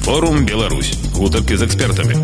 Форум Беларусь. Гутаркі з экспертамі.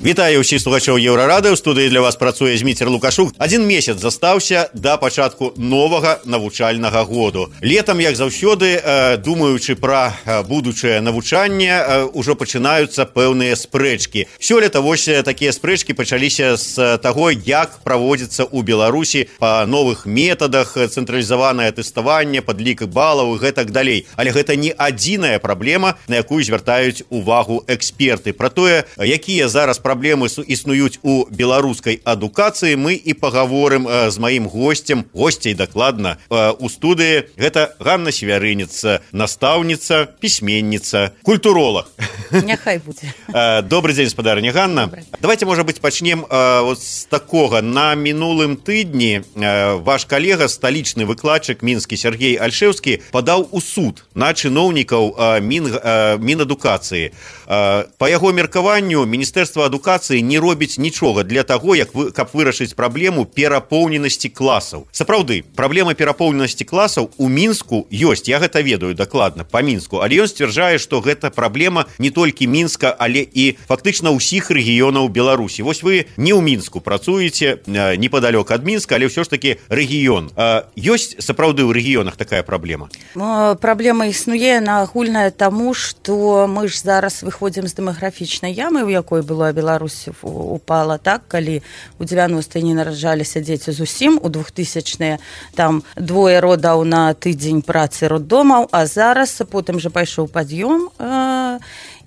Вітаю ўсіх слухачоў Еўрарады. У студыі для вас працуе Зміцер Лукашук. Адзін месяц застаўся да пачатку новага навучальнага году. Летам, як заўсёды, думаючы пра будучае навучанне, ужо пачынаюцца пэўныя спрэчкі. Сёлета вось такія спрэчкі пачаліся з таго, як праводзіцца ў Беларусі па новых метадах, цэнтралізаванае тэставанне, падлік балаў і гэтак далей. Але гэта не адзіная праблема, на якую звяртаюць увагу эксперты. Пра тое, якія зараз праблемы існуюць у беларускай адукацыі, мы і пагаворым з маім госцяй дакладна у студыі. Гэта Ганна Севярыніца, настаўніца, пісьменніца, культуролог. Няхай будзе. Добрый дзень, спадарыня Ганна. Добрый. Давайте, можа быць, пачнем з такога. На мінулым тыдні ваш калега, сталічны выкладчык мінскі Сергей Альшэўскі, падаў у суд на чыноўнікаў Мінадукацыі. Па яго меркаванню, Міністэрства адукацыі не робіць нічога для таго, каб вырашыць праблему перапоўненасці класаў. Сапраўды, праблема перапоўненасці класаў у Мінску ёсць, я гэта ведаю дакладна па Мінску, але ён сцвярджае, што гэта праблема не толькі Мінска, але і фактычна ўсіх рэгіёнаў Беларусі. Вось вы не ў Мінску працуеце, непадалёк ад Мінска, але ўсё ж такі рэгіён. Ёсць сапраўды ў рэгіёнах такая праблема? Праблема існуе агульная таму, што мы ж зараз выходзім з дэмаграфічнай ямы, у якой была Беларусь упала, так, калі у 90-е не нараджаліся дзеці зусім, у 2000-е там 2 родаў на тыдзень працы роддомаў, а зараз потым жа пайшоў пад'ём,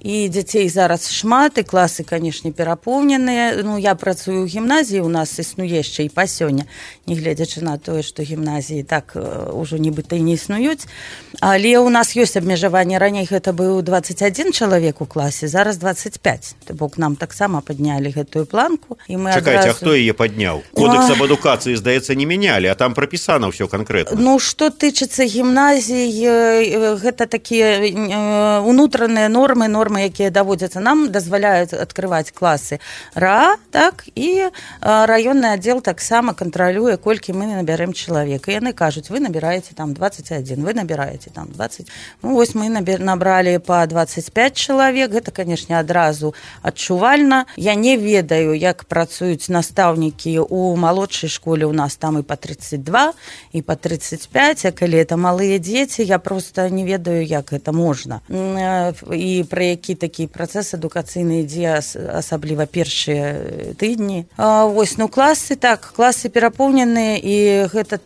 і дзяцей зараз шмат, і класы, канешне, перапоўненыя. Ну, я працую ў гімназіі, у нас існуе яшчэ і па сёння, нягледзячы на тое, што гімназіі так ужо нібыта і не існуюць. Але ў нас ёсць абмежаванне. Раней гэта быў 21 чалавек у класе, зараз 25. То бок нам таксама паднялі гэтую планку. І мы Чакайце, а хто яе падняў? Кодекс аб адукацыі, здаецца, не мянялі, а там прапісана ўсё канкрэтна. Ну, што тычыцца гімназій, гэта такія унутраныя нормы, якія даводзяцца нам, дазваляюць адкрываць класы РАА, так, і раённы аддзел таксама кантралюе, колькі мы набярэм чалавек. І яны кажуць, вы набіраеце там 21, вы набіраеце там 20. Ну, вось мы набралі па 25 чалавек, гэта, канешне, адразу адчувальна. Я не ведаю, як працуюць настаўнікі у малодшай школе, у нас там і па 32, і па 35, а калі это малыя дзеці, я проста не ведаю, як гэта можна. І пра які такі працэс адукацыйны ідзе, асабліва першыя тыдні. Вось, ну, класы, так, класы перапоўненыя, і гэта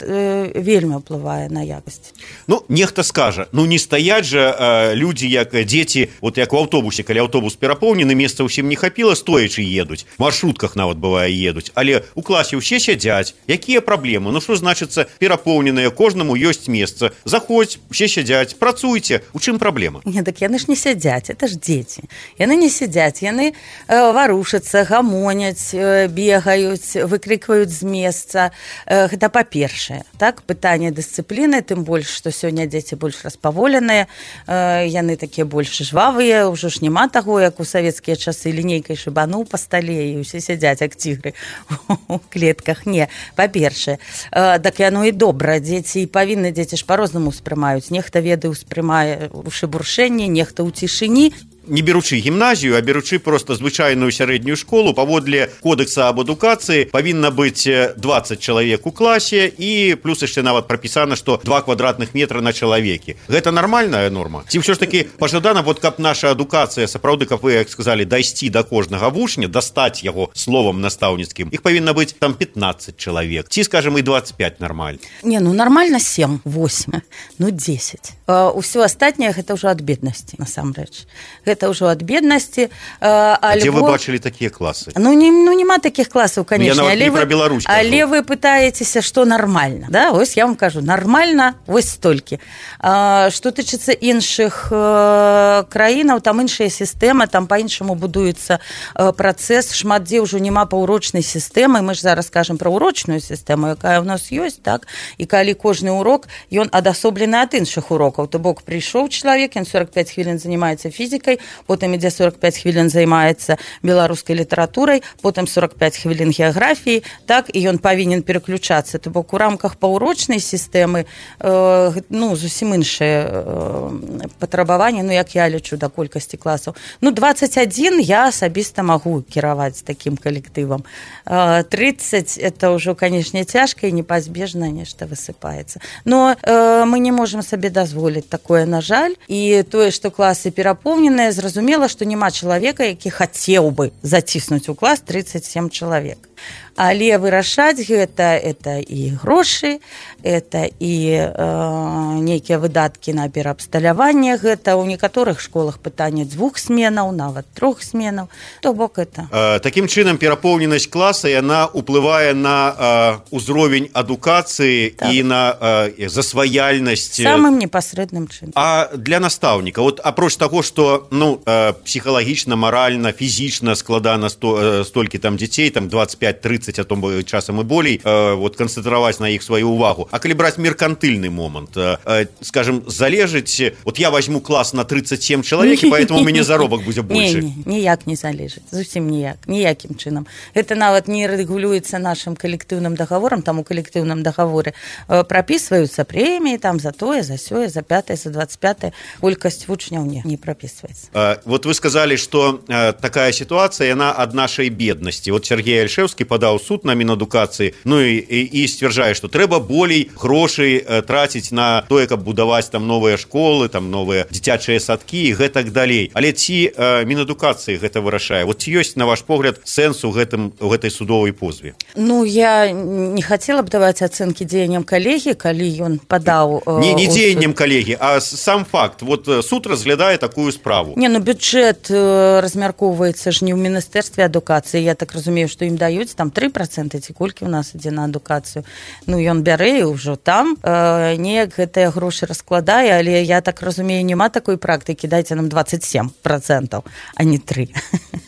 вельмі ўплывае на якасць. Ну, нехта скажа, ну, не стаяць жа людзі, як дзеці, вот як у аўтобусе, калі аўтобус перапоўнены, месца ўсім не хапіла, стоячы едуць, в маршрутках нават бывае едуць, але у класе ўсе сядзяць. Якія праблемы? Ну, што значыцца перапоўненыя, кожнаму ёсць месца. Заходзь, усе сядзяць, працуйце. У чым праблема? Не, так яны ж не сядзяць, это ж дзеці. Яны не сядзяць, яны варушацца, гамоняць, бегаюць, выкрикваюць з месца. Гэта па-першае. Так, пытанне дысцыпліны, тым больш, што сёння дзеці больш распаволеныя, яны такія больш жвавыя, ўжо ж няма таго, як у савецкія часы лінейкай шыбануў па стале, і ўсе сядзяць, як цігры у клетках. Не, па-першае. Так яно і добра. Дзеці павінны, дзеці ж па-рознаму ўспрымаюць. Нехта ведае, ўспрымае ў шыбуршэнні, нехта ў цішыні. Не беручы гімназію, а беручы просто звычайную сярэднюю школу, паводле кодекса аб адукацыі павінна быць 20 чалавек у класе, і плюс яшчэ нават прапісана, што 2 квадратных метра на чалавекі. Гэта нармальная норма? Ці ўсё ж такі пажадана, вот каб наша адукацыя, сапраўды, каб вы, як сказалі, дайсці да кожнага вучня, дастаць яго словам настаўніцкім, іх павінна быць там 15 чалавек, ці, скажем, і 25 нормально? Не, ну нормально 7, 8, ну 10. Усё астатняе гэта ўжо ад беднасці, насамрэч. Гэта ўжо ад беднасці. Дзе вы бачылі такія класы? Ну, няма такіх класаў, канешне. Я нават не пра Беларусь кажу. Але вы пытаецеся, што нармальна. Да? Ось я вам кажу, нармальна, вось столькі. Што тычыцца іншых краінаў, там іншая сістэма, там па-іншаму будуецца працэс. Шмат дзе ўжо няма паўрочнай сістэмы. Мы ж зараз кажам пра урочную сістэму, якая ў нас ёсць, так? І калі кожны урок, ён адасоблены ад іншых урокаў. То бок прыйшоў чалавек, ён 45 хвілін занимаецца фізікай, потым ідзе 45 хвілін займаецца беларускай літаратурай, потым 45 хвілін геаграфіі, так, і ён павінен пераключацца. То бок у рамках паўрочнай сістэмы зусім іншыя патрабаванні, як я лічу, да колькасці класаў. 21 я асабіста магу кіраваць такім калектывам. 30 это ўжо, канешне, цяжка і непазбежна нешта высыпаецца. Но мы не можам сабе дазволіць такое, на жаль. І тое, што класы перапоўненыя, зразумела, што няма чалавека, які хацеў бы заціснуць у клас 37 чалавек. Але вырашаць гэта і грошы, это і нейкія выдаткі на пераабсталяванне, гэта ў некаторых школах пытанне 2 сменаў, нават 3 сменаў. То бок это. Такім чынам перапоўненасць класа, яна ўплывае на ўзровень адукацыі, так, і на засваяльнасць. Самым непасрэдным чынам. А для настаўніка, апроч таго, што псіхалагічна, маральна, фізічна складана столькі там дзяцей, там 25-30, а то часам і болей, канцэнтраваць на іх сваю ўвагу. А калі браць меркантыльны момант, скажем, залежыць, я возьму клас на 37 чалавек, і поэтому у мяне заробак будзе большы. Ніяк не залежыць, зусім ніякім чынам. Гэта нават не рэгулюецца нашым калектыўным дагаворам, там у калектыўным дагаворе прапісваюцца прэміі, там за тое, за сёе, за 5-е, за 25-е, колькасць вучняў не прапісваецца. Вы сказалі, што такая сітуацыя, яна ад нашай беднасці. Сергей Альшэўскі падаў суд на Мінадукацыі, і сцвярджае, што трэба болей грошай траціць на тое, каб будаваць там новыя школы, там новыя дзіцячыя садкі і гэтак далей. Але ці Мінадукацыі гэта вырашае? Ці ёсць, на ваш погляд, сэнс у гэтай судовай позве? Я не хацела б даваць ацэнкі дзеянням калегі, калі ён падаў... Не дзеянням калегі, а сам факт. Суд разглядае такую справу. Бюджэт размяркоўваецца ж не ў Міністэрстве адукацыі. Я так разумею, што ім даюць там 3%, ці колькі ў нас ідзе на адукацыю. Ён бярэ і ўжо там неяк гэтыя грошы раскладае, але я так разумею, няма такой практыкі, дайце нам 27%, а не 3%.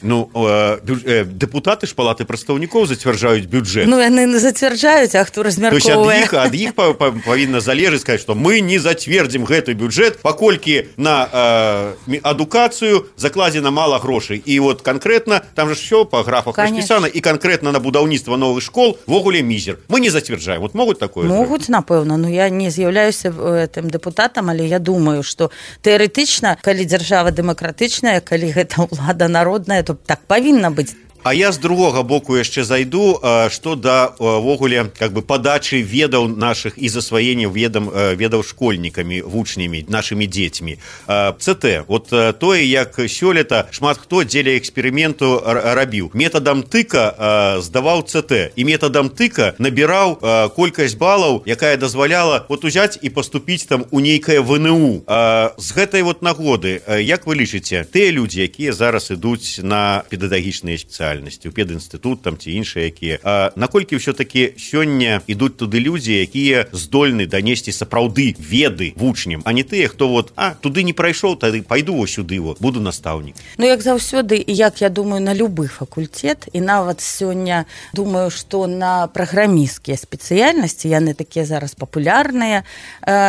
Дэпутаты ж палаты прадстаўнікоў зацвярджаюць бюджэт. Яны зацвярджаюць, а хто размяркоўвае? То есть ад іх павінна залежыць, сказаць, што мы не зацвердзім гэты бюджэт, паколькі на адукацыю закладзена мала грошай. І канкрэтна, там же ўсё па графах распісана, і канкрэтна на будаўніцтва новых школ вогуле мізер. Мы не зацвярджаем. Могуць такое? Могуць, напэўна. Я не з'яўляюся тым дэпутатам, але я думаю, што тэарэтычна, калі дзяржава дэмакратычная, калі гэта ўлада народная, то так павінна быць. А я з другога боку яшчэ зайду, што да вогуле падачы ведаў нашых і засваення ведаў школьнікамі, вучнямі, нашымі дзецьмі. ЦТ, тое, як сёлета шмат хто дзеля эксперыменту рабіў. Метадам тыка здаваў ЦТ, і метадам тыка набіраў колькасць балаў, якая дазваляла узяць і паступіць там у нейкае ВНУ. З гэтай нагоды, як вы лічыце, тыя людзі, якія зараз ідуць на педагагічныя спецыяльнасці, у педінстытут там ці іншыя якія. Наколькі ўсё-такі сёння ідуць туды людзі, якія здольны данесці сапраўды веды вучням, а не тыя, хто туды не прайшоў, тады пайду сюды, буду настаўнік. Як заўсёды, як я думаю, на любы факультэт, і нават сёння думаю, што на праграмісцкія спецыяльнасці, яны такія зараз папулярныя,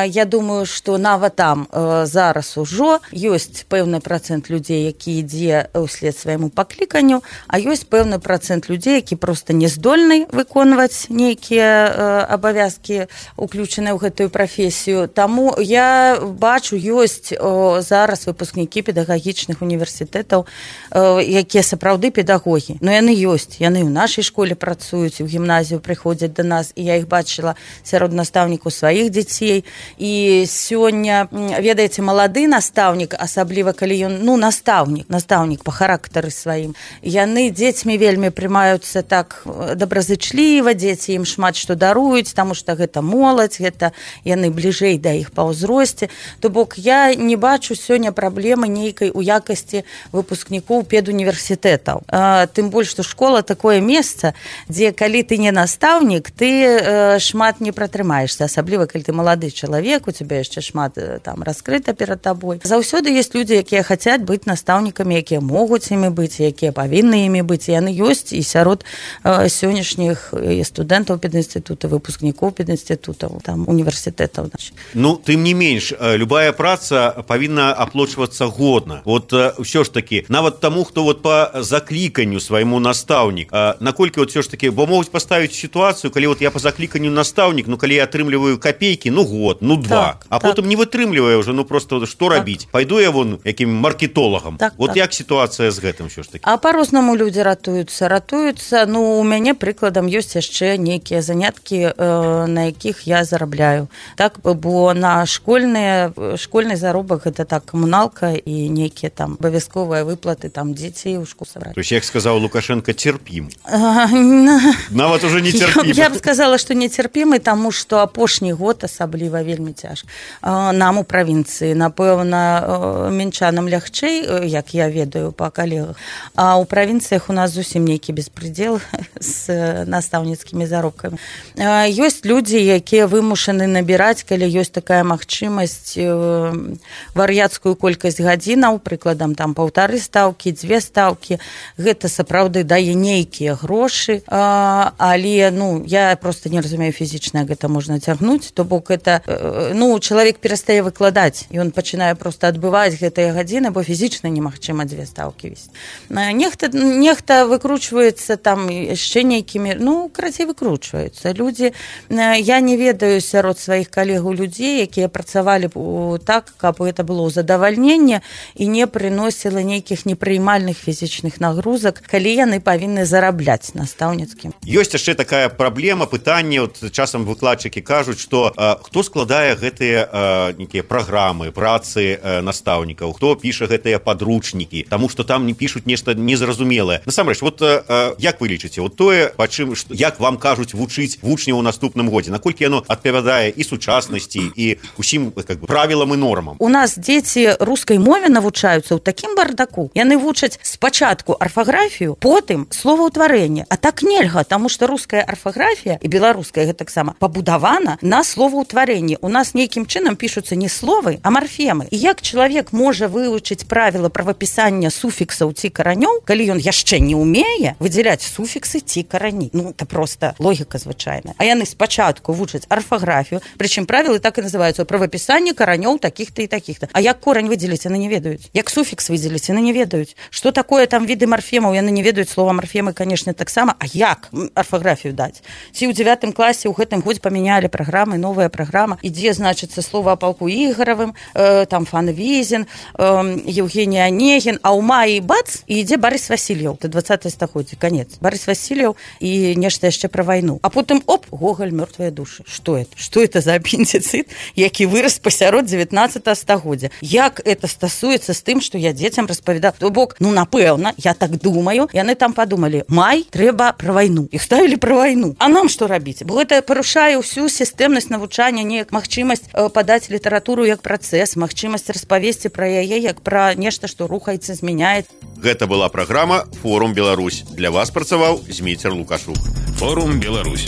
я думаю, што нават там зараз ужо ёсць пэўны працэнт людзей, які ідзе ўслед свайму пакліканню, а ёсць пэўны працэнт людзей, які проста не здольны выконваць нейкія абавязкі, уключаныя ў гэтую прафесію. Таму я бачу, ёсць зараз выпускнікі педагагічных універсітэтаў, якія сапраўды педагогі. Яны ёсць, яны ў нашай школе працуюць, у гімназію прыходзяць да нас, і я іх бачыла сярод настаўнікаў сваіх дзяцей. І сёння, ведаеце, малады настаўнік, асабліва калі ён, настаўнік па характары сваім, яны дзецьмі вельмі прымаюцца так добразычліва, дзеці ім шмат што даруюць, таму што гэта моладзь, гэта яны бліжэй да іх па ўзросце. То бок я не бачу сёння праблемы нейкай у якасці выпускнікоў педуніверсітэтаў. Тым больш, што школа такое месца, дзе калі ты не настаўнік, ты шмат не пратрымаешся, асабліва калі ты малады чалавек, у цябе яшчэ шмат там раскрыта перад табой. Заўсёды ёсць людзі, якія хацяць быць настаўнікамі, якія могуць імі быць, якія павінны імі быць. быць, і яны ёсць і сярод сённяшніх і студэнтаў педінстытута, выпускнікоў педінстытутаў, там універсітэтаў. Ну, тым не менш, любая праца павінна аплачвацца годна. Вот ўсё ж таки, нават таму, хто вот по закліканню свайму настаўнік, наколькі вот все ж таки, бо могуць паставіць сітуацыю, калі вот я по закліканню настаўнік, ну калі я атрымліваю копейкі, ну год, ну два, а потым не вытрымліваю уже, ну просто што рабіць? Пайду я вон якім маркетолагам. Вот як сітуацыя з гэтым все ж таки? А по-рознаму людзі ратуюцца. Ну, у мяне прыкладам ёсць яшчэ нейкія заняткі, на якіх я зарабляю. Так, бо на школьны заробак гэта так камуналка і нейкія там абавязковыя выплаты, там дзецей у школу сабраць. То есть, як сказаў Лукашенко, церпім. Нават уже не церпім. Я б сказала, што не церпімы, таму што апошні год асабліва вельмі цяжка. Нам у правінцыі, напэўна, мінчанам лягчэй, як я ведаю па калегах, а ў правінцыях у нас зусім нейкі беспредел з настаўніцкімі заробкамі. Ёсць людзі, якія вымушаны набіраць, калі ёсць такая магчымасць, вар'яцкую колькасць гадзінаў, прыкладам там 1,5 стаўкі, 2 стаўкі. Гэта сапраўды дае нейкія грошы, але ну я просто не разумею фізічна, гэта можна цягнуць, то бок это ну чалавек перастае выкладаць, ён пачынае просто адбываць гэтыя гадзіны, бо фізічна немагчыма 2 стаўкі весці. Нехта выкручваецца там яшчэ нейкімі, ну карацей выкручваюцца людзі. Я не ведаю сярод сваіх калегаў людзей, якія працавалі так, каб гэта было задавальненне і не прыносіла нейкіх непрыймальных фізічных нагрузак, калі яны павінны зарабляць настаўніцкім. Ёсць яшчэ такая праблема, пытанне, вот часам выкладчыкі кажуць, што хто складае гэтыя нейкія праграмы, працы настаўнікаў, хто піша гэтыя падручнікі, таму што там не пішуць нешта незразумелае. Насамрэч, вот як вы лічыце, вот тое, як вам кажуць вучыць вучняў у наступным годзе, наколькі яно адпавядае і сучаснасці, і усім правілам і нормам? У нас дзеці рускай мове навучаюцца ў такім бардаку. Яны вучаць спачатку арфаграфію, потым словаўтварэнне. А так нельга, таму што руская арфаграфія і беларуская гэтаксама пабудавана на словаўтварэнні. У нас нейкім чынам пішуцца не словы, а марфемы. І як чалавек можа вывучыць правіла правапісання суфіксаў ці каранёў, калі ён яшчэ не ўмее выдзяляць суфіксы ці карані? Ну, это просто логіка звычайная. А яны спачатку вучаць арфаграфію, прычым правілы так і называюцца: правапісанне каранёў такіх-то і такіх-то. А як корань выдзеліць, яны не ведаюць. Як суфікс выдзеліць, яны не ведаюць. Што такое там віды марфемаў, яны не ведаюць. Слова марфемы, канешне, таксама. А як арфаграфію даць? Ці ў 9 класе ў гэтым годзе памянялі праграмы, новая праграма, ідзе, значыцца, слова о палку Ігоравым, там Фанвізін, Евгений Онегин, а ў маі бац, і ідзе Борис Васильев, до 20 стагоддзя, канец. Борис Васильев і нешта яшчэ пра вайну. А потым, оп, Гоголь, мёртвыя душы. Што это? Што это за апендицит, які вырас пасярод 19 стагоддзя? Як это стасуецца з тым, што я дзецям распавядаю? То бок, ну, напэўна, я так думаю, яны там падумалі, май, трэба пра вайну. І ставілі пра вайну. А нам што рабіць? Бо гэта парушае ўсю сістэмнасць навучання, неяк магчымасць падаць літаратуру як працэс, магчымасць распавесці пра яе як пра нешта, што рухаецца, змяняецца. Гэта была праграма «Форум Беларусь». Для вас працаваў Зміцер Лукашук. Форум Беларусь.